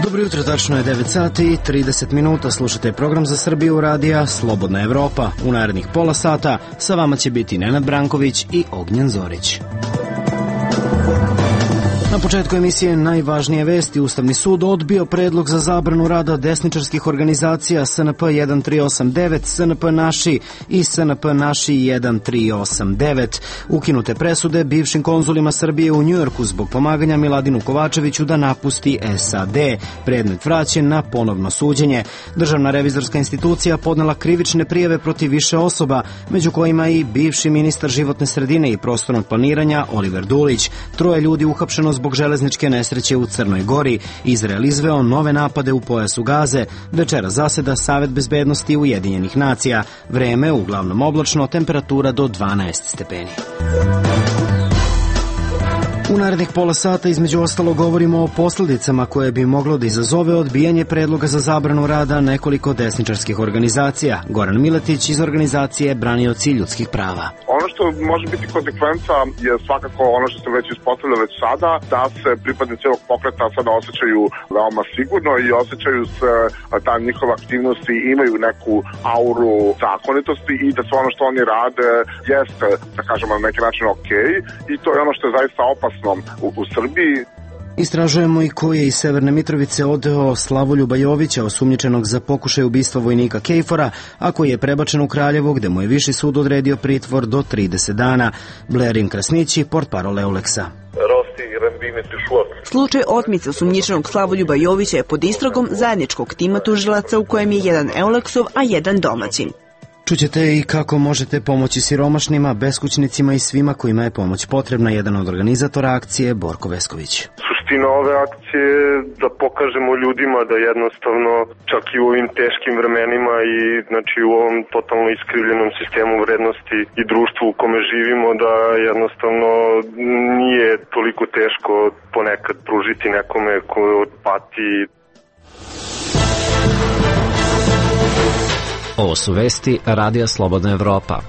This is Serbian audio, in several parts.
Dobro jutro, tačno je 9 sati i 30 minuta. Slušate program za Srbiju radija Slobodna Evropa. U narednih pola sata sa vama će biti Nenad Branković i Ognjen Zorić. Na početku emisije najvažnije vesti. Ustavni sud odbio predlog za zabranu rada desničarskih organizacija SNP 1389, SNP Naši i SNP Naši 1389. Ukinute presude bivšim konzulima Srbije u Njujorku zbog pomaganja Miladinu Kovačeviću da napusti SAD. Predmet vraćen na ponovno suđenje. Državna revizorska institucija podnela krivične prijave protiv više osoba, među kojima i bivši ministar životne sredine i prostornog planiranja Oliver Dulić. 3 ljudi uhapšeno zbog železničke nesreće u Crnoj Gori. Izrael izveo nove napade u pojasu Gaze. Večera zaseda Savet bezbednosti Ujedinjenih nacija. Vreme uglavnom oblačno, temperatura do 12 stepeni. U narednih pola sata između ostalo govorimo o posljedicama koje bi moglo da izazove odbijanje predloga za zabranu rada nekoliko desničarskih organizacija. Goran Miletić iz organizacije Branioci ljudskih prava. Ono što može biti konsekvenca je svakako ono što se već ispostavlja već sada, da se pripadnici ovog pokreta sada osjećaju veoma sigurno i osjećaju se da njihove aktivnosti imaju neku auru zakonitosti i da sve ono što oni rade jeste, da kažemo, na neki način okej, i to je ono što je zaista opasno u Srbiji. Istražujemo i ko je iz Severne Mitrovice odveo Slavoljuba Jovića, osumnjičenog za pokušaj ubistva vojnika Kejfora, a koji je prebačen u Kraljevo, gde mu je viši sud odredio pritvor do 30 dana. Blerin Krasnići, portparol Euleksa. Slučaj otmice osumnjičenog Slavoljuba Jovića je pod istragom zajedničkog tima tužilaca u kojem je jedan Euleksov, a jedan domaćin. Čućete i kako možete pomoći siromašnima, beskućnicima i svima kojima je pomoć potrebna. Jedan od organizatora akcije, Borko Vesković. Suština ove akcije je da pokažemo ljudima da jednostavno čak i u ovim teškim vremenima i znači u ovom totalno iskrivljenom sistemu vrednosti i društvu u kome živimo, da jednostavno nije toliko teško ponekad pružiti nekome ko pati. Ovo su vesti Radija Slobodna Evropa.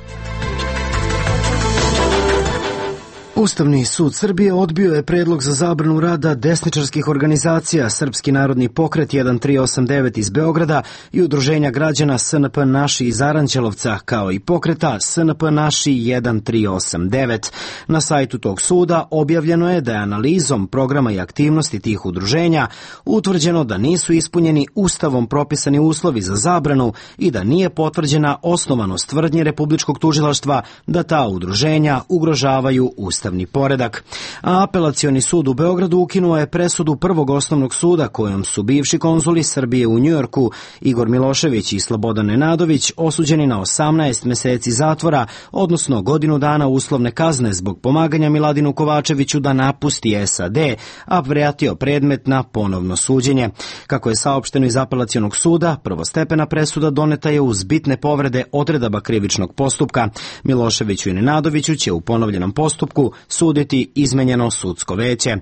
Ustavni sud Srbije odbio je predlog za zabranu rada desničarskih organizacija Srpski narodni pokret 1389 iz Beograda i Udruženja građana SNP Naši iz Aranđelovca, kao i pokreta SNP Naši 1389. Na sajtu tog suda objavljeno je da je analizom programa i aktivnosti tih udruženja utvrđeno da nisu ispunjeni ustavom propisani uslovi za zabranu i da nije potvrđena osnovanost tvrdnje Republičkog tužilaštva da ta udruženja ugrožavaju ustavni poredak. A apelacioni sud u Beogradu ukinuo je presudu Prvog osnovnog suda kojom su bivši konzuli Srbije u Njujorku Igor Milošević i Slobodan Nenadović osuđeni na 18 meseci zatvora, odnosno godinu dana uslovne kazne zbog pomaganja Miladinu Kovačeviću da napusti SAD, a vratio predmet na ponovno suđenje. Kako je saopšteno iz apelacionog suda, prvostepena presuda doneta je uz bitne povrede odredaba krivičnog postupka. Miloševiću i Nenadoviću će u ponovljenom postupku suditi izmenjeno sudsko veće.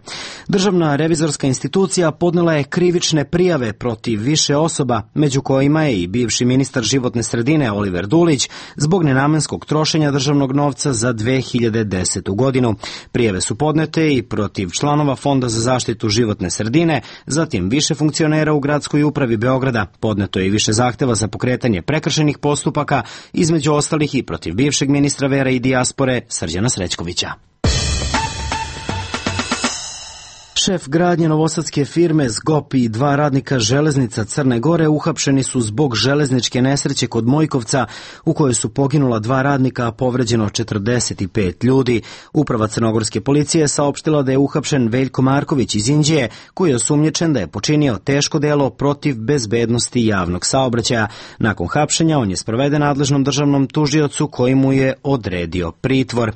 Državna revizorska institucija podnela je krivične prijave protiv više osoba, među kojima je i bivši ministar životne sredine Oliver Dulić, zbog nenamenskog trošenja državnog novca za 2010. godinu. Prijave su podnete i protiv članova Fonda za zaštitu životne sredine, zatim više funkcionera u gradskoj upravi Beograda. Podneto je i više zahteva za pokretanje prekršajnih postupaka, između ostalih i protiv bivšeg ministra vera i dijaspore Srđana Srećkovića. Šef gradnje novosadske firme Zgop i 2 radnika železnica Crne Gore uhapšeni su zbog železničke nesreće kod Mojkovca u kojoj su poginula 2 radnika, a povređeno 45 ljudi. Uprava crnogorske policije saopštila da je uhapšen Veljko Marković iz Inđije, koji je osumnjičen da je počinio teško delo protiv bezbednosti javnog saobraćaja. Nakon hapšenja on je sproveden nadležnom državnom tužiocu koji mu je odredio pritvor.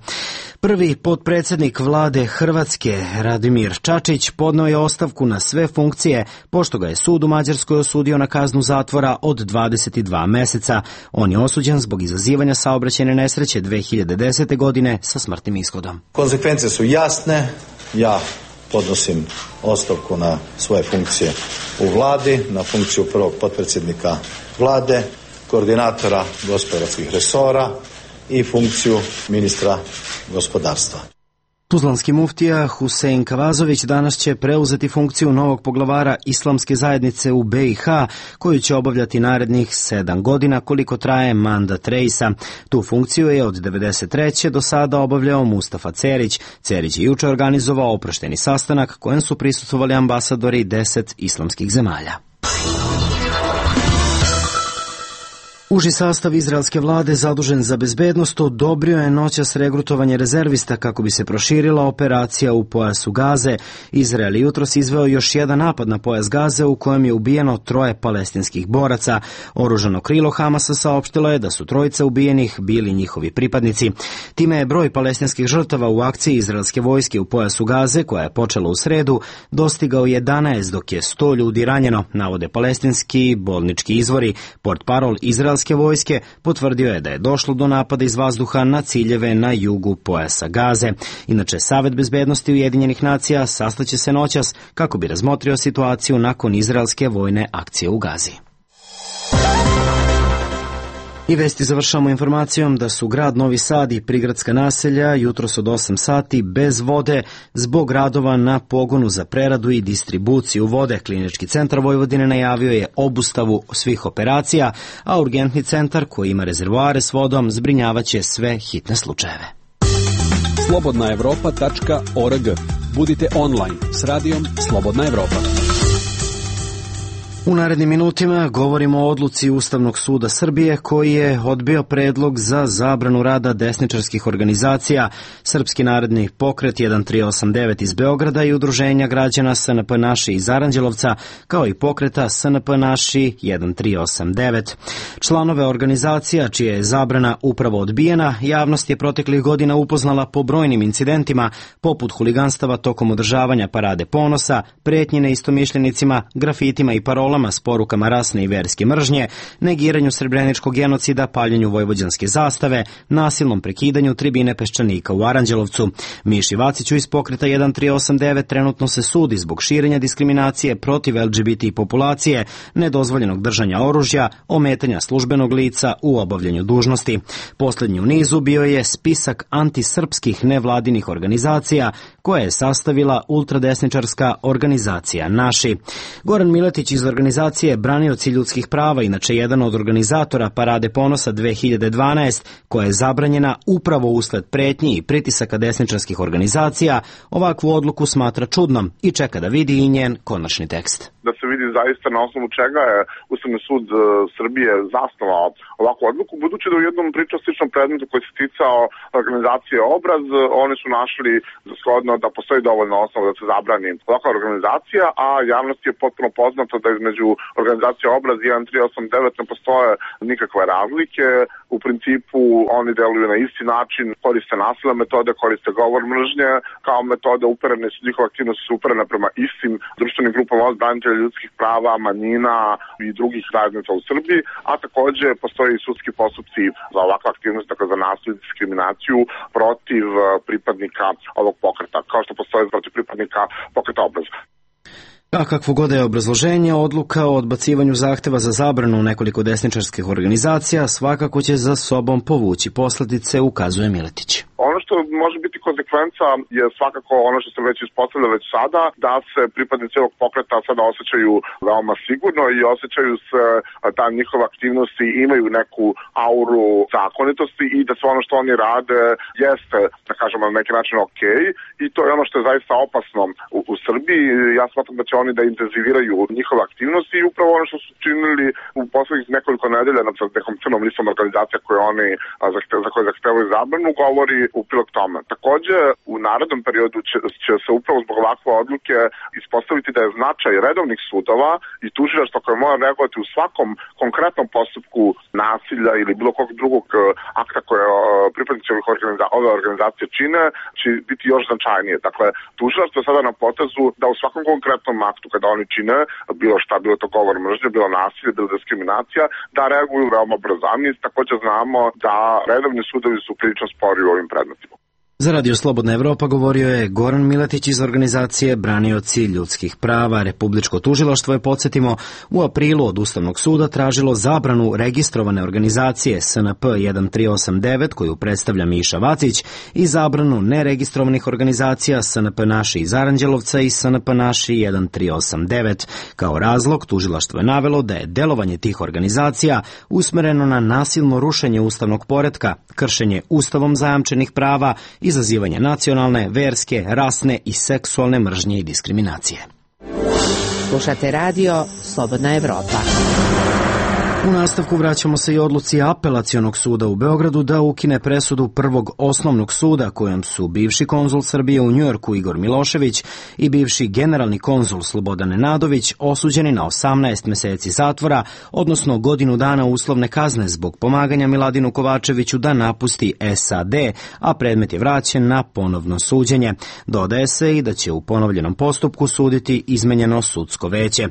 Prvi potpredsednik vlade Hrvatske, Radimir Čačić, podneo je ostavku na sve funkcije, pošto ga je sud u Mađarskoj osudio na kaznu zatvora od 22 meseca. On je osuđen zbog izazivanja saobraćajne nesreće 2010. godine sa smrtnim ishodom. Konsekvence su jasne. Ja podnosim ostavku na svoje funkcije u vladi, na funkciju prvog potpredsjednika vlade, koordinatora gospodarskih resora i funkciju ministra gospodarstva. Tuzlanski muftija Husein Kavazović danas će preuzeti funkciju novog poglavara Islamske zajednice u BiH, koju će obavljati narednih 7 godina koliko traje mandat reisa. Tu funkciju je od 1993. do sada obavljao Mustafa Cerić. Cerić je juče organizovao oprošteni sastanak kojem su prisustvovali ambasadori 10 islamskih zemalja. Uži sastav izraelske vlade zadužen za bezbednost odobrio je noćas regrutovanje rezervista kako bi se proširila operacija u pojasu Gaze. Izrael jutros izveo još jedan napad na pojas Gaze u kojem je ubijeno 3 palestinskih boraca. Oružano krilo Hamasa saopštilo je da su 3 ubijenih bili njihovi pripadnici. Time je broj palestinskih žrtava u akciji izraelske vojske u pojasu Gaze, koja je počela u sredu, dostigao 11, dok je 100 ljudi ranjeno, navode palestinski bolnički izvori. Portparol izraelske vojske potvrdio je da je došlo do napada iz vazduha na ciljeve na jugu pojasa Gaze. Inače, Savet bezbednosti Ujedinjenih nacija sastaće se noćas kako bi razmotrio situaciju nakon izraelske vojne akcije u Gazi. I vesti završamo informacijom da su grad Novi Sad i prigradska naselja jutros od 8 sati bez vode zbog radova na pogonu za preradu i distribuciju vode. Klinički centar Vojvodine najavio je obustavu svih operacija, a urgentni centar koji ima rezervoare s vodom zbrinjavaće sve hitne slučajeve. slobodnaevropa.org. Budite online s radijom Slobodna Evropa. U narednim minutima govorimo o odluci Ustavnog suda Srbije koji je odbio predlog za zabranu rada desničarskih organizacija Srpski narodni pokret 1389 iz Beograda i Udruženja građana SNP Naši iz Aranđelovca, kao i pokreta SNP Naši 1389. Članove organizacija čija je zabrana upravo odbijena, javnost je proteklih godina upoznala po brojnim incidentima, poput huliganstava tokom održavanja Parade ponosa, pretnje neistomišljenicima, grafitima i parolama s porukama rasne i verske mržnje, negiranju srebreničkog genocida, paljenju vojvođanske zastave, nasilnom prekidanju tribine Peščanika u Aranđelovcu. Miši Vaciću iz pokreta 1389 trenutno se sudi zbog širenja diskriminacije protiv LGBT populacije, nedozvoljenog držanja oružja, ometanja službenog lica u obavljanju dužnosti. Poslednji u nizu bio je spisak antisrpskih nevladinih organizacija koje je sastavila ultradesničarska organizacija Naši. Goran Miletić iz organizacije Branioci ljudskih prava, inače jedan od organizatora Parade ponosa 2012, koja je zabranjena upravo usled pretnji i pritisaka desničarskih organizacija, ovakvu odluku smatra čudnom i čeka da vidi i njen konačni tekst. Da se vidi zaista na osnovu čega je Ustavni sud Srbije zasnovao ovakvu odluku, budući da u jednom pričastičnom predmetu koji se ticao organizacije Obraz, oni su našli za shodno da postoji dovoljno osnova da se zabrani ovakva organizacija, a javnosti je potpuno poznato da između organizacije Obraz i 1389 ne postoje nikakve razlike. U principu oni deluju na isti način, koriste nasilne metode, koriste govor mržnje kao metode uperene su, njihove aktivnosti su uperene prema istim društvenim grupama od branitelja ljudskih prava, manjina i drugih zajednica u Srbiji, a takođe postoje i sudski postupci za ovakve aktivnosti, dakle za nasilje i diskriminaciju protiv pripadnika ovog pokreta, kao što postoje protiv pripadnika pokreta Obraz. A kakvo god je obrazloženje, odluka o odbacivanju zahteva za zabranu nekoliko desničarskih organizacija svakako će za sobom povući posledice, ukazuje Miletić. Ono što može biti konsekvenca je svakako ono što se već ispostavlja već sada, da se pripadnici ovog pokreta sada osjećaju veoma sigurno i osjećaju se da njihove aktivnosti imaju neku auru zakonitosti i da sve ono što oni rade jeste, da kažemo, na neki način ok, i to je ono što je zaista opasno u Srbiji. Ja smatram da će oni da intenziviraju njihove aktivnosti i upravo ono što su činili u poslednjih nekoliko nedelja nad nekom crnom listom organizacija za koje zahtevaju zabranu, govori u prilog tome. Takođe, u narednom periodu će se upravo zbog ovakve odluke ispostaviti da je značaj redovnih sudova i tužilaštva koje mora reagovati u svakom konkretnom postupku nasilja ili bilo kog drugog akta koje pripadnici ove organizacije čine, će biti još značajnije. Dakle, tužilaštvo je sada na potezu da u svakom konkretnom aktu kada oni čine bilo šta, bilo to govor mržnje, bilo nasilje, bilo diskriminacija, da reaguju veoma brzo. A mi takođe znamo da redovni sudovi su prilično spori u ovim predmetima. Za Radio Slobodna Evropa govorio je Goran Miletić iz organizacije Branioci ljudskih prava. Republičko tužilaštvo je, podsjetimo, u aprilu od Ustavnog suda tražilo zabranu registrovane organizacije SNP 1389 koju predstavlja Miša Vacić i zabranu neregistrovanih organizacija SNP Naši iz Aranđelovca i SNP Naši 1389. Kao razlog tužilaštvo je navelo da je delovanje tih organizacija usmereno na nasilno rušenje ustavnog poretka, kršenje ustavom zajamčenih prava, izazivanje nacionalne, verske, rasne i seksualne mržnje i diskriminacije. Slušate radio Slobodna Evropa. U nastavku vraćamo se i odluci Apelacionog suda u Beogradu da ukine presudu Prvog osnovnog suda kojom su bivši konzul Srbije u Njujorku Igor Milošević i bivši generalni konzul Slobodan Nenadović osuđeni na 18 meseci zatvora, odnosno godinu dana uslovne kazne zbog pomaganja Miladinu Kovačeviću da napusti SAD, a predmet je vraćen na ponovno suđenje. Dodaje se i da će u ponovljenom postupku suditi izmenjeno sudsko veće.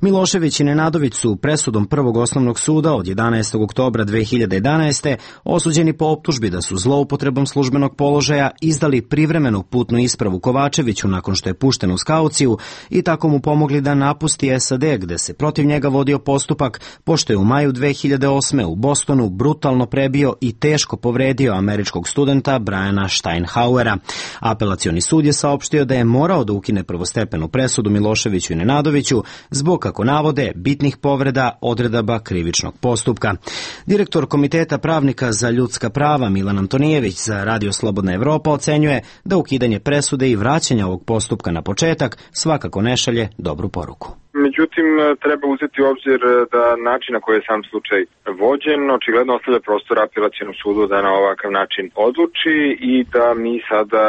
Milošević i Nenadović su presudom Prvog osnovnog suda od 11. oktobra 2011. osuđeni po optužbi da su zloupotrebom službenog položaja izdali privremenu putnu ispravu Kovačeviću nakon što je pušten uz kauciju i tako mu pomogli da napusti SAD gde se protiv njega vodio postupak pošto je u maju 2008. u Bostonu brutalno prebio i teško povredio američkog studenta Briana Steinhauera. Apelacioni sud je saopštio da je morao da ukine prvostepenu presudu Miloševiću i Nenadoviću zbog, kako navode, bitnih povreda odredaba krivičnog postupka. Direktor Komiteta pravnika za ljudska prava Milan Antonijević za Radio Slobodna Evropa ocenjuje da ukidanje presude i vraćanje ovog postupka na početak svakako ne šalje dobru poruku. Međutim, treba uzeti u obzir da način na koji je sam slučaj vođen očigledno ostavlja prostor apelacionom sudu da na ovakav način odluči i da mi sada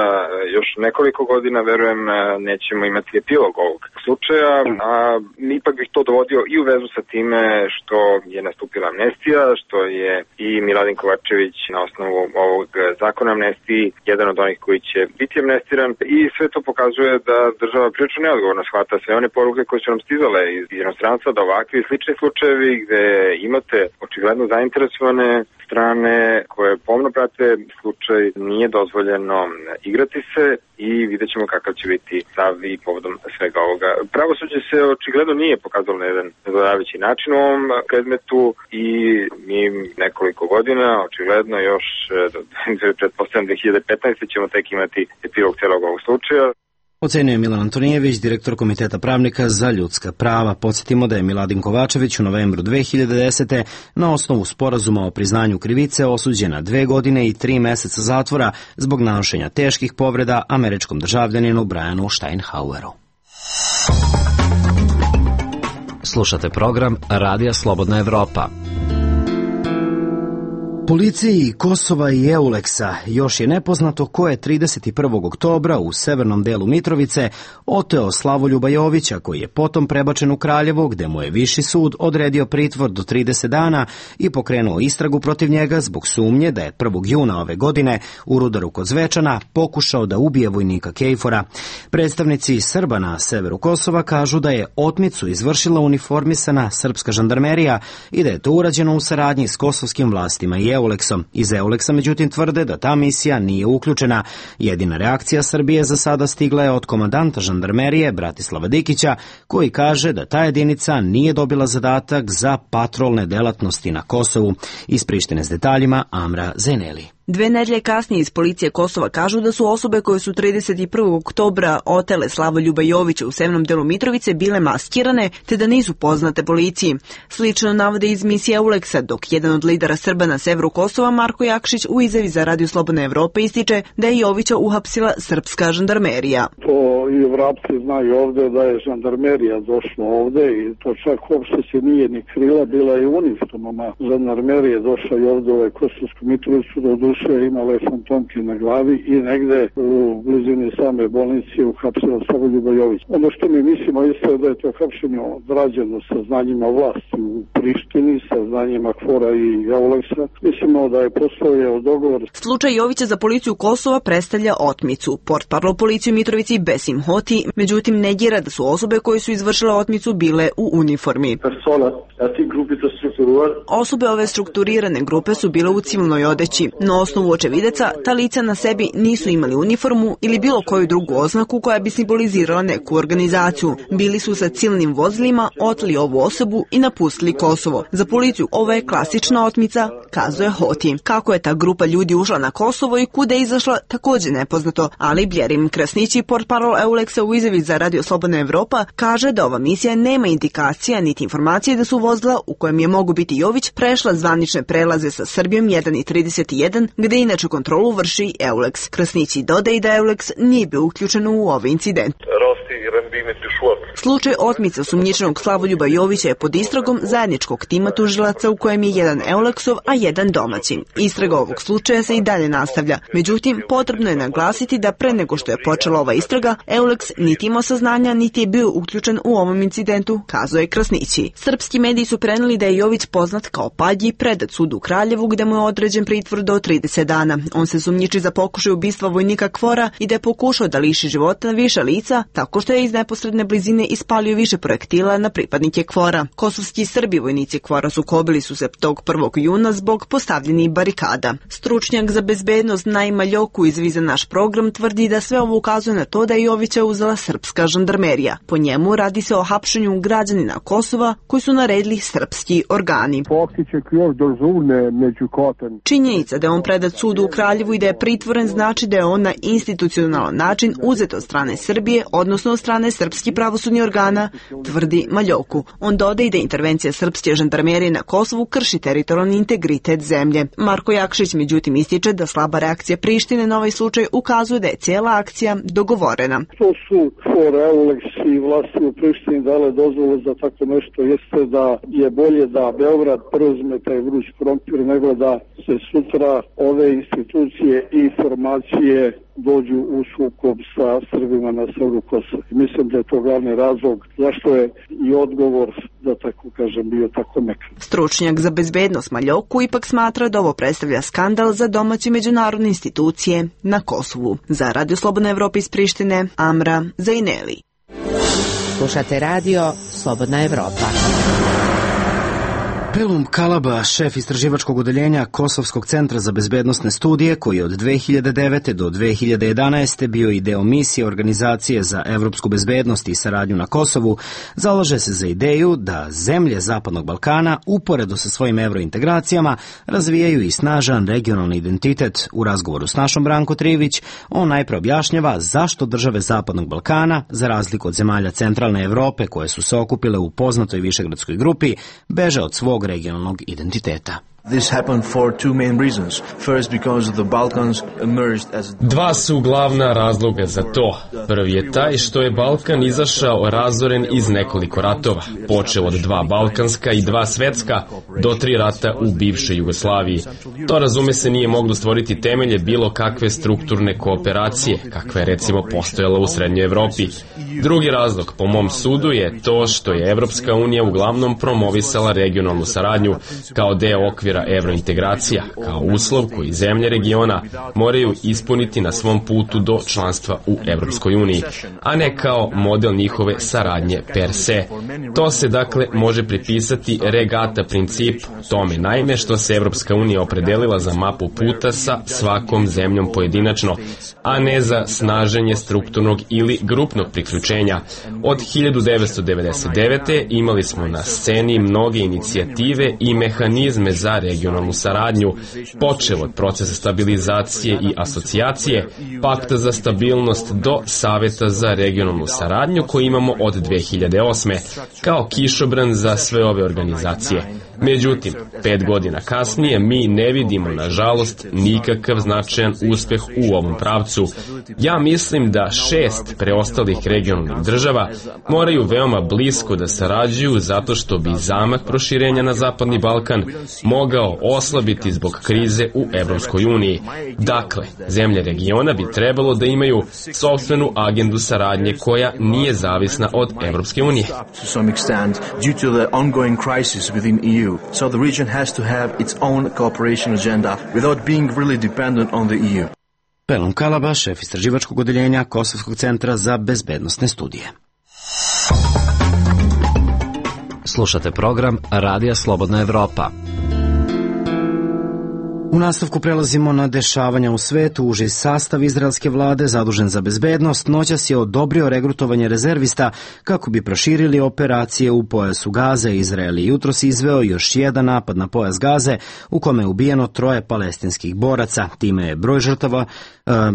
još nekoliko godina, verujem, nećemo imati epilog ovog slučaja, a ipak bih to dovodio i u vezu sa time što je nastupila amnestija, što je i Miladin Kovačević na osnovu ovog zakona amnestiji jedan od onih koji će biti amnestiran i sve to pokazuje da država prilično neodgovorno shvata sve one poruke koje su nam stizale iz inostranstva da ovakvi slični slučajevi gde imate očigledno zainteresovane strane koje pomno prate slučaj, nije dozvoljeno igrati se i vidjet ćemo kakav će biti stav i povodom svega ovoga. Pravosuđe se očigledno nije pokazalo na jedan zadovoljavajući način u ovom predmetu i mi nekoliko godina, očigledno još pretpostavljam 2015. ćemo tek imati epilog celog ovog slučaja. Ocenio Milan Antonijević, direktor Komiteta pravnika za ljudska prava. Podsjetimo da je Miladin Kovačević u novembru 2010. na osnovu sporazuma o priznanju krivice osuđen na 2 godine i 3 meseca zatvora zbog nanošenja teških povreda američkom državljaninu Brianu Steinhaueru. Slušate program Radija Slobodna Evropa. Policiji Kosova i Euleksa još je nepoznato ko je 31. oktobra u severnom delu Mitrovice oteo Slavoljuba Jovića, koji je potom prebačen u Kraljevo, gde mu je Viši sud odredio pritvor do 30 dana i pokrenuo istragu protiv njega zbog sumnje da je 1. juna ove godine u Rudaru kod Zvečana pokušao da ubije vojnika Kejfora. Predstavnici Srba na severu Kosova kažu da je otmicu izvršila uniformisana srpska žandarmerija i da je to urađeno u saradnji s kosovskim vlastima i Euleksom. Iz Euleksa međutim tvrde da ta misija nije uključena. Jedina reakcija Srbije za sada stigla je od komandanta žandarmerije Bratislava Dikića, koji kaže da ta jedinica nije dobila zadatak za patrolne delatnosti na Kosovu. Iz Prištine s detaljima Amra Zeneli. 2 nedelje kasnije iz policije Kosova kažu da su osobe koje su 31. oktobra otele Slavoljuba Jovića u severnom delu Mitrovice bile maskirane te da nisu poznate policiji. Slično navode iz misije Euleksa, dok jedan od lidera Srba na severu Kosova, Marko Jakšić, u izjavi za Radio Slobodna Evropa ističe da je Jovića uhapsila srpska žandarmerija. To i vrapci znaju ovde da je žandarmerija došla ovde i to čak uopšte se nije ni krila, bila je uniformama žandarmerije došla i ovde u Kosovsku Mitrovicu da imala je fantomke na glavi i negde u blizini same bolnice uhapsila Slavoljuba Jovića. Ono što mi mislimo isto je da je to hapšenje odrađeno sa znanjima vlasti u Prištini sa znanjima KFOR-a i EULEX-a. Mislimo da je postojao dogovor. Slučaj Jovića za policiju Kosova predstavlja otmicu. Portparol policije u Mitrovici Besim Hoti, međutim, negira da su osobe koje su izvršile otmicu bile u uniformi. Osobe ove strukturirane grupe su bile u civilnoj odeći. Na osnovu očevideca, ta lica na sebi nisu imali uniformu ili bilo koju drugu oznaku koja bi simbolizirala neku organizaciju. Bili su sa civilnim vozilima, oteli ovu osobu i napustili Kosovo. Za policiju ovo je klasična otmica, kazuje Hoti. Kako je ta grupa ljudi ušla na Kosovo i kuda je izašla, također nepoznato, ali Bljerim Krasnići, portparol EULEX-a u izjavi za Radio Slobodna Evropa, kaže da ova misija nema indikacija niti informacije da su vozila u kojem je mogu biti Jović prešla zvanične prelaze sa Srbijom 1 i 31, gde inače kontrolu vrši EULEX. Krasnići dodaje da EULEX nije bio uključen u ovaj incident. Slučaj otmice osumnjičenog Slavoljuba Jovića je pod istragom zajedničkog tima tužilaca u kojem je jedan EULEX-ov, a jedan domaćin. Istraga ovog slučaja se i dalje nastavlja. Međutim, potrebno je naglasiti da pre nego što je počela ova istraga, EULEX niti imao saznanja, niti je bio uključen u ovom incidentu, kazuje Krasnići. Srpski mediji su preneli da je Jović poznat kao Padji, predat sudu u Kraljevu gde mu je određen pritvor do 30 dana. On se sumnjiči za pokušaj ubistva vojnika KFOR-a i da je pokušao da liši života više lica tako što je iz neposredne blizine ispalio više projektila na pripadnike KFOR-a. Kosovski Srbi vojnici KFOR-a sukobili su se tog 1. juna zbog postavljenih barikada. Stručnjak za bezbednost Naima Ljoku izvi za naš program tvrdi da sve ovo ukazuje na to da je Jovića uzela srpska žandarmerija. Po njemu radi se o hapšenju građanina Kosova koji su naredili srpski organi. Činjenica da je on predat sudu u Kraljevu i da je pritvoren znači da je on na institucionalan način uzet od strane Srbije, odnosno od strane srpskih pravosudnih organa, tvrdi Maljoku. On dodaje da intervencija srpske žandarmerije na Kosovu krši teritorijalni integritet zemlje. Marko Jakšić međutim ističe da slaba reakcija Prištine na ovaj slučaj ukazuje da je cijela akcija dogovorena. To su KFOR, EULEX i vlasti u Prištini dale dozvolu za tako nešto, jeste da je bolje da Beograd preuzme taj vruć krompir nego da se sutra ove institucije i informacije dođu u sukob sa Srbima na severu Kosova. Mislim da je to glavni razlog zašto je i odgovor, da tako kažem, bio tako mekan. Stručnjak za bezbednost Maljoku ipak smatra da ovo predstavlja skandal za domaće međunarodne institucije na Kosovu. Za Radio Slobodna Evropa iz Prištine, Amra Zajneli. Slušate Radio Slobodna Evropa. Pelum Kalaba, šef istraživačkog odeljenja Kosovskog centra za bezbednosne studije, koji je od 2009. do 2011. bio i deo misije Organizacije za evropsku bezbednost i saradnju na Kosovu, zalaže se za ideju da zemlje Zapadnog Balkana, uporedo sa svojim evrointegracijama, razvijaju i snažan regionalni identitet. U razgovoru s našom Branko Trivić, on najpre objašnjava zašto države Zapadnog Balkana, za razliku od zemalja centralne Evrope koje su se okupile u poznatoj višegradskoj grupi, beže od svog regionalnog identiteta. Dva su glavna razloga za to. Prvi je taj što je Balkan izašao razoren iz nekoliko ratova, počeo od 2 balkanska i 2 svetska do 3 rata u bivšoj Jugoslaviji. To, razume se, nije moglo stvoriti temelje bilo kakve strukturne kooperacije, kakva je recimo postojala u Srednjoj Evropi. Drugi razlog, po mom sudu, je to što je Evropska unija uglavnom promovisala regionalnu saradnju kao deo okvira evrointegracija, kao uslov koji zemlje regiona moraju ispuniti na svom putu do članstva u Evropskoj uniji, a ne kao model njihove saradnje per se. To se dakle može pripisati regata principu, tome naime što se Evropska unija opredelila za mapu puta sa svakom zemljom pojedinačno, a ne za snaženje strukturnog ili grupnog priključenja. Od 1999. imali smo na sceni mnoge inicijative i mehanizme za regionalnu saradnju, počev od procesa stabilizacije i asocijacije, pakta za stabilnost do Saveta za regionalnu saradnju koji imamo od 2008. kao kišobran za sve ove organizacije. Međutim, 5 godina kasnije mi ne vidimo, nažalost, nikakav značajan uspeh u ovom pravcu. Ja mislim da 6 preostalih regionalnih država moraju veoma blisko da sarađuju zato što bi zamah proširenja na Zapadni Balkan mogao mogao oslabiti zbog krize u Evropskoj uniji. Dakle, zemlje regiona bi trebalo da imaju sopstvenu agendu saradnje koja nije zavisna od Evropske unije. Pelon Kalaba, šef istraživačkog odeljenja Kosovskog centra za bezbednosne studije. Slušate program Radija Slobodna Evropa. U nastavku prelazimo na dešavanja u svetu. Uži sastav izraelske vlade zadužen za bezbednost noćas je odobrio regrutovanje rezervista kako bi proširili operacije u pojasu Gaze. Izrael je jutros izveo još jedan napad na pojas Gaze u kome je ubijeno 3 palestinskih boraca. Time je broj žrtava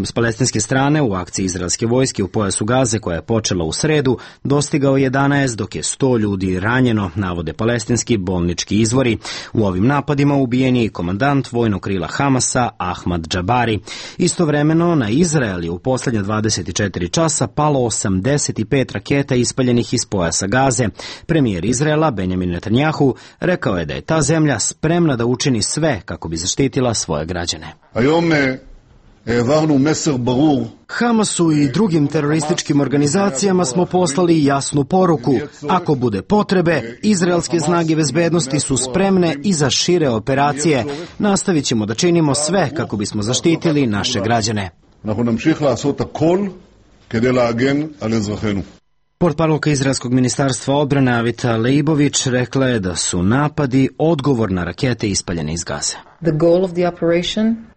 s palestinske strane u akciji izraelske vojske u pojasu Gaze, koja je počela u sredu, dostigao 11, dok je 100 ljudi ranjeno, navode palestinski bolnički izvori. U ovim napadima ubijen je i komandant vojnog krila Hamasa Ahmad Džabari. Istovremeno na Izrael je u poslednja 24 časa palo 85 raketa ispaljenih iz pojasa Gaze. Premijer Izraela Benjamin Netanjahu rekao je da je ta zemlja spremna da učini sve kako bi zaštitila svoje građane. Hamasu i drugim terorističkim organizacijama smo poslali jasnu poruku. Ako bude potrebe, izraelske snage bezbednosti su spremne i za šire operacije. Nastavit ćemo da činimo sve kako bismo zaštitili naše građane. Portparolka izraelskog ministarstva odbrane Avita Leibović rekla je da su napadi odgovor na rakete ispaljene iz Gaze.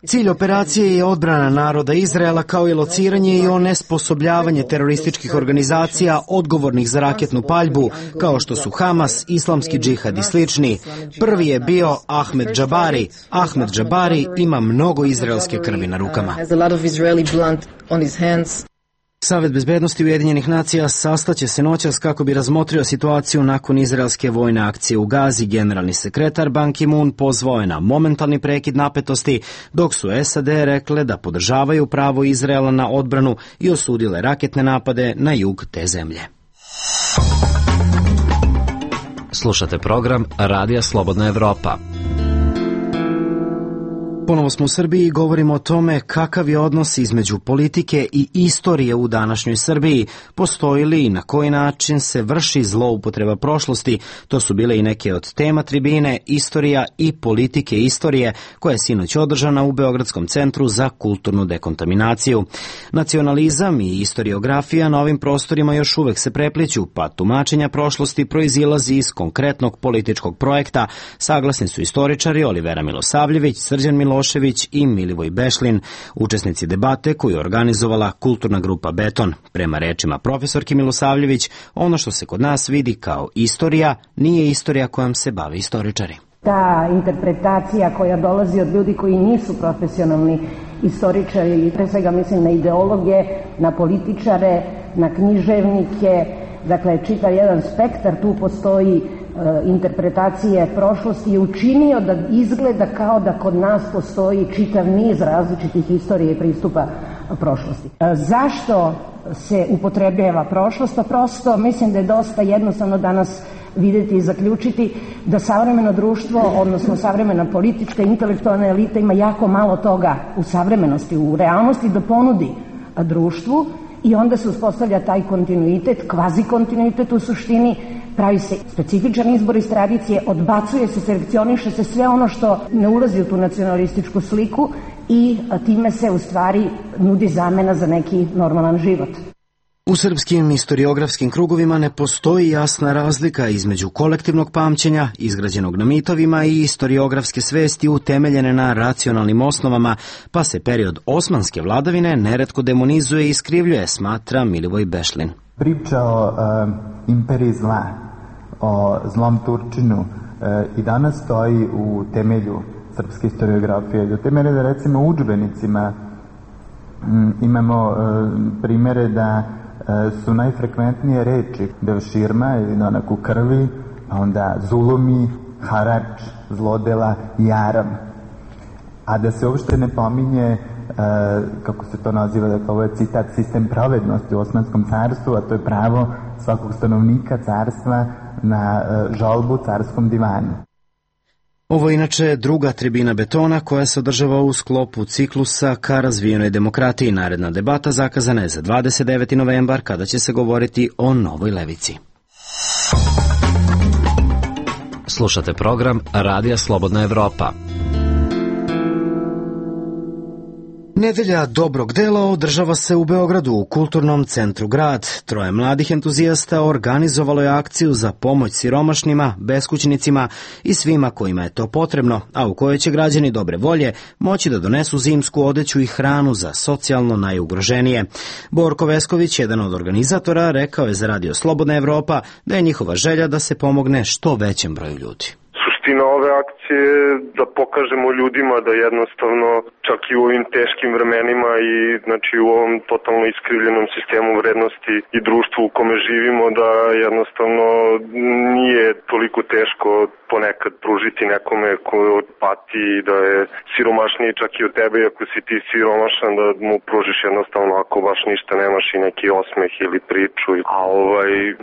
Cilj operacije je odbrana naroda Izraela kao i lociranje i onesposobljavanje terorističkih organizacija odgovornih za raketnu paljbu, kao što su Hamas, Islamski džihad i slični. Prvi je bio Ahmed Džabari. Ahmed Džabari ima mnogo izraelske krvi na rukama. Savet bezbednosti Ujedinjenih nacija sastaće se noćas kako bi razmotrio situaciju nakon izraelske vojne akcije u Gazi. Generalni sekretar Ban Ki-moon pozvao je na momentalni prekid napetosti, dok su SAD rekle da podržavaju pravo Izraela na odbranu i osudile raketne napade na jug te zemlje. Slušate program Radija Slobodna Evropa. Ponovo smo u Srbiji i govorimo o tome kakav je odnos između politike i istorije u današnjoj Srbiji. Postoji li i na koji način se vrši zloupotreba prošlosti? To su bile i neke od tema tribine Istorija i politike istorije, koja je sinoć održana u Beogradskom centru za kulturnu dekontaminaciju. Nacionalizam i istoriografija na ovim prostorima još uvek se prepliću, pa tumačenja prošlosti proizilazi iz konkretnog političkog projekta, saglasni su istoričari Olivera Milosavljević, Srđan Milošević i Milivoj Bešlin, učesnici debate koju je organizovala kulturna grupa Beton. Prema rečima profesorke Milosavljević, ono što se kod nas vidi kao istorija nije istorija kojom se bave istoričari. Ta interpretacija koja dolazi od ljudi koji nisu profesionalni istoričari, pre svega mislim na ideologe, na političare, na književnike, dakle čitav jedan spektar tu postoji interpretacije prošlosti je učinio da izgleda kao da kod nas postoji čitav niz različitih istorija i pristupa prošlosti. Zašto se upotrebljava prošlost? Pa prosto mislim da je dosta jednostavno danas vidjeti i zaključiti da savremeno društvo, odnosno savremena politička i intelektualna elita ima jako malo toga u savremenosti, u realnosti da ponudi društvu i onda se uspostavlja taj kontinuitet, kvazi kontinuitet u suštini, pravi se specifičan izbor iz tradicije, odbacuje se, selekcioniše se sve ono što ne ulazi u tu nacionalističku sliku i time se u stvari nudi zamena za neki normalan život. U srpskim istoriografskim krugovima ne postoji jasna razlika između kolektivnog pamćenja, izgrađenog na mitovima, i istoriografske svesti utemeljene na racionalnim osnovama, pa se period osmanske vladavine neretko demonizuje i iskrivljuje, smatra Milivoj Bešlin. Priča o imperiji zla, o zlom Turčinu i danas stoji u temelju srpske historiografije. Do te mere da recimo u udžbenicima imamo primere da su najfrekventnije reči devširma ili onaku krvi, onda zulumi, harač, zlodela i aram. A da se uopšte ne pominje, kako se to naziva, dakle ovo je citat, sistem pravednosti u Osmanskom carstvu, a to je pravo svakog stanovnika carstva na žalbu carskom divanu. Ovo je inače druga tribina betona koja se održava u sklopu ciklusa ka razvijenoj demokratiji. Naredna debata zakazana je za 29. novembar kada će se govoriti o novoj levici. Slušate program Radija Slobodna Evropa. Nedelja dobrog dela održava se u Beogradu u Kulturnom centru Grad. 3 mladih entuzijasta organizovalo je akciju za pomoć siromašnima, beskućnicima i svima kojima je to potrebno, a u kojoj će građani dobre volje moći da donesu zimsku odeću i hranu za socijalno najugroženije. Borko Vesković, jedan od organizatora, rekao je za Radio Slobodna Evropa da je njihova želja da se pomogne što većem broju ljudi. Suština ove akcije je da pokažemo ljudima da jednostavno čak i u ovim teškim vremenima i znači u ovom totalno iskrivljenom sistemu vrednosti i društvu u kome živimo, da jednostavno nije toliko teško ponekad pružiti nekome ko pati, da je siromašniji čak i od tebe, ako si ti siromašan, da mu pružiš jednostavno ako baš ništa nemaš i neki osmeh ili priču. A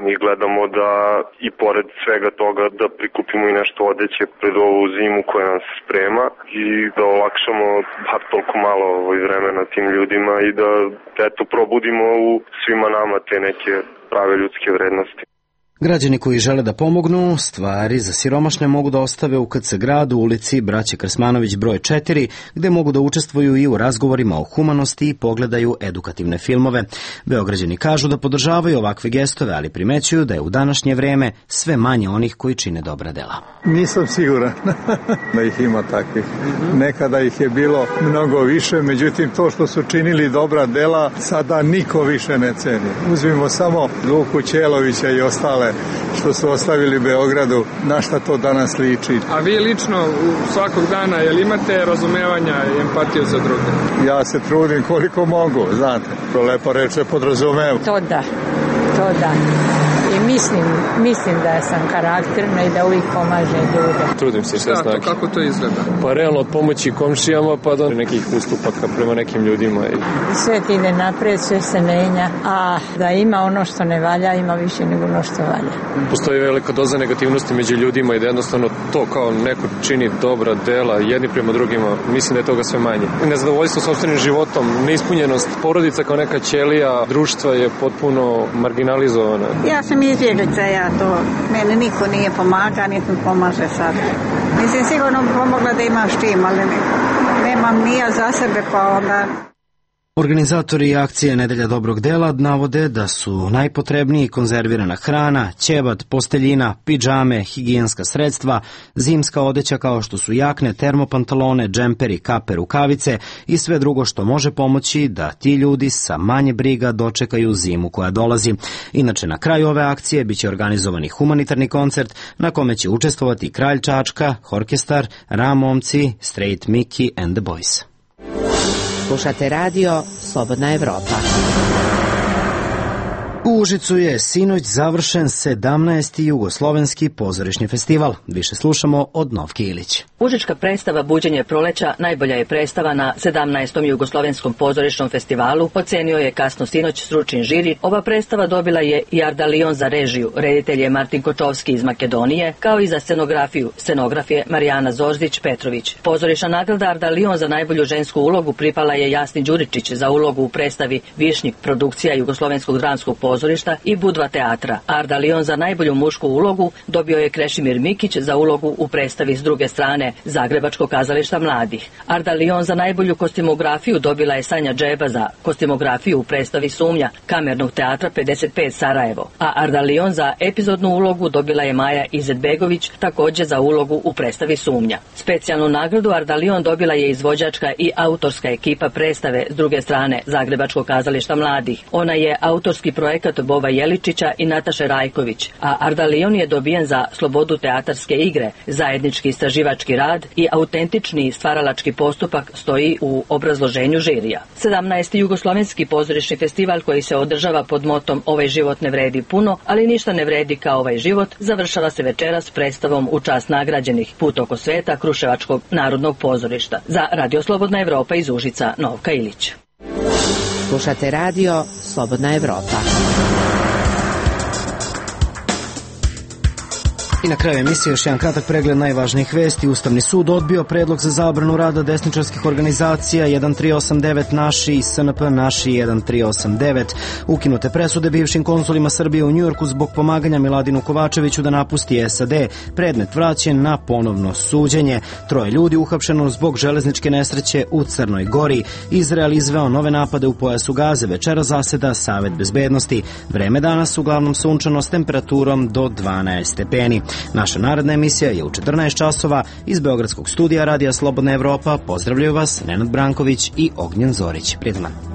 mi gledamo da i pored svega toga da prikupimo i nešto odeće pred ovu zimu koja nam se sprema i da olakšamo bar toliko malo vremena tim ljudima i da eto probudimo u svima nama te neke prave ljudske vrednosti. Građani koji žele da pomognu, stvari za siromašne mogu da ostave u KC Gradu, ulici Braće Krsmanović broj 4, gde mogu da učestvuju i u razgovorima o humanosti i pogledaju edukativne filmove. Beograđani kažu da podržavaju ovakve gestove, ali primećuju da je u današnje vreme sve manje onih koji čine dobra dela. Nisam siguran da ih ima takvih. Nekada ih je bilo mnogo više, međutim to što su činili dobra dela sada niko više ne ceni. Uzmimo samo Luku Ćelovića i ostale što su ostavili Beogradu, na šta to danas liči. A vi lično svakog dana, jel imate razumevanja i empatiju za druge? Ja se trudim koliko mogu, znate, to lepo reče podrazumevam. To da. I mislim da sam karakterna i da uvijek pomažem ljude. Trudim se sve znači. Kako to izgleda? Pa realno od pomoći komšijama pa do nekih ustupaka prema nekim ljudima. Sve ti ide napred, sve se menja, a da ima ono što ne valja, ima više nego ono što valja. Postoji velika doza negativnosti među ljudima i da jednostavno to kao neko čini dobra dela jedni prema drugima, mislim da je toga sve manje. Nezadovoljstvo sopstvenim životom, neispunjenost porodica kao neka ćelija društva je potpuno marginalizovana. Ja sam izbjeglica, mene niko nije pomaga, niti pomaže sad. Mislim, sigurno bi pomogla da imam štim, ali nemam ni ja za sebe, pa onda... Organizatori akcije Nedelja dobrog dela navode da su najpotrebniji konzervirana hrana, ćebat, posteljina, pidžame, higijenska sredstva, zimska odeća kao što su jakne, termopantalone, džemperi, kape, rukavice i sve drugo što može pomoći da ti ljudi sa manje briga dočekaju zimu koja dolazi. Inače, na kraju ove akcije biće organizovani humanitarni koncert na kome će učestvovati Kralj Čačka, Orkestar, Ramomci, Straight Mickey and the Boys. Slušate radio Slobodna Evropa. U Užicu je sinoć završen 17. jugoslovenski pozorišni festival. Više slušamo od Novke Ilić. Užička predstava Buđenje proleća najbolja je predstava na 17. jugoslovenskom pozorišnom festivalu, ocenio je kasno sinoć stručni žiri. Ova predstava dobila je i Ardalion za režiju, reditelj je Martin Kočovski iz Makedonije, kao i za scenografiju. Scenograf je Marijana Zorzić-Petrović. Pozorišna nagrada Ardalion za najbolju žensku ulogu pripala je Jasni Đuričić za ulogu u predstavi Višnjik, produkcija Jugoslovenskog dramskog pozorišta i Budva teatra. Ardalion za najbolju mušku ulogu dobio je Krešimir Mikić za ulogu u predstavi S druge strane Zagrebačkog kazališta mladih. Ardalion za najbolju kostimografiju dobila je Sanja Džeba za kostimografiju u predstavi Sumnja Kamernog teatra 55 Sarajevo, a Ardalion za epizodnu ulogu dobila je Maja Izetbegović također za ulogu u predstavi Sumnja. Specijalnu nagradu Ardalion dobila je izvođačka i autorska ekipa predstave S druge strane Zagrebačkog kazališta mladih. Ona je autorski projekat Bova Jeličića i Nataše Rajković, a Ardalion je dobijen za slobodu teatarske igre, zajednički istraživački rad i autentični stvaralački postupak stoji u obrazloženju žirija. 17. jugoslovenski pozorišni festival koji se održava pod motom Ovaj život ne vredi puno, ali ništa ne vredi kao ovaj život, završava se večeras predstavom u čast nagrađenih Put oko sveta Kruševačkog narodnog pozorišta. Za Radio Slobodna Evropa iz Užica, Novka Ilić. Slušate radio Slobodna Evropa. I na kraju emisije još jedan kratak pregled najvažnijih vesti. Ustavni sud odbio predlog za zabranu rada desničarskih organizacija 1389 Naši i SNP Naši 1389. Ukinute presude bivšim konsulima Srbije u Njujorku zbog pomaganja Miladinu Kovačeviću da napusti SAD. Predmet vraćen na ponovno suđenje. 3 ljudi uhapšeno zbog železničke nesreće u Crnoj Gori. Izrael izveo nove napade u pojasu Gaze. Večera zaseda Savet bezbednosti. Vreme danas uglavnom sunčano s temperaturom do 12 stepeni. Naša naredna emisija je u 14 časova iz Beogradskog studija Radija Slobodna Evropa. Pozdravljaju vas Nenad Branković i Ognjen Zorić. Prijetan dan.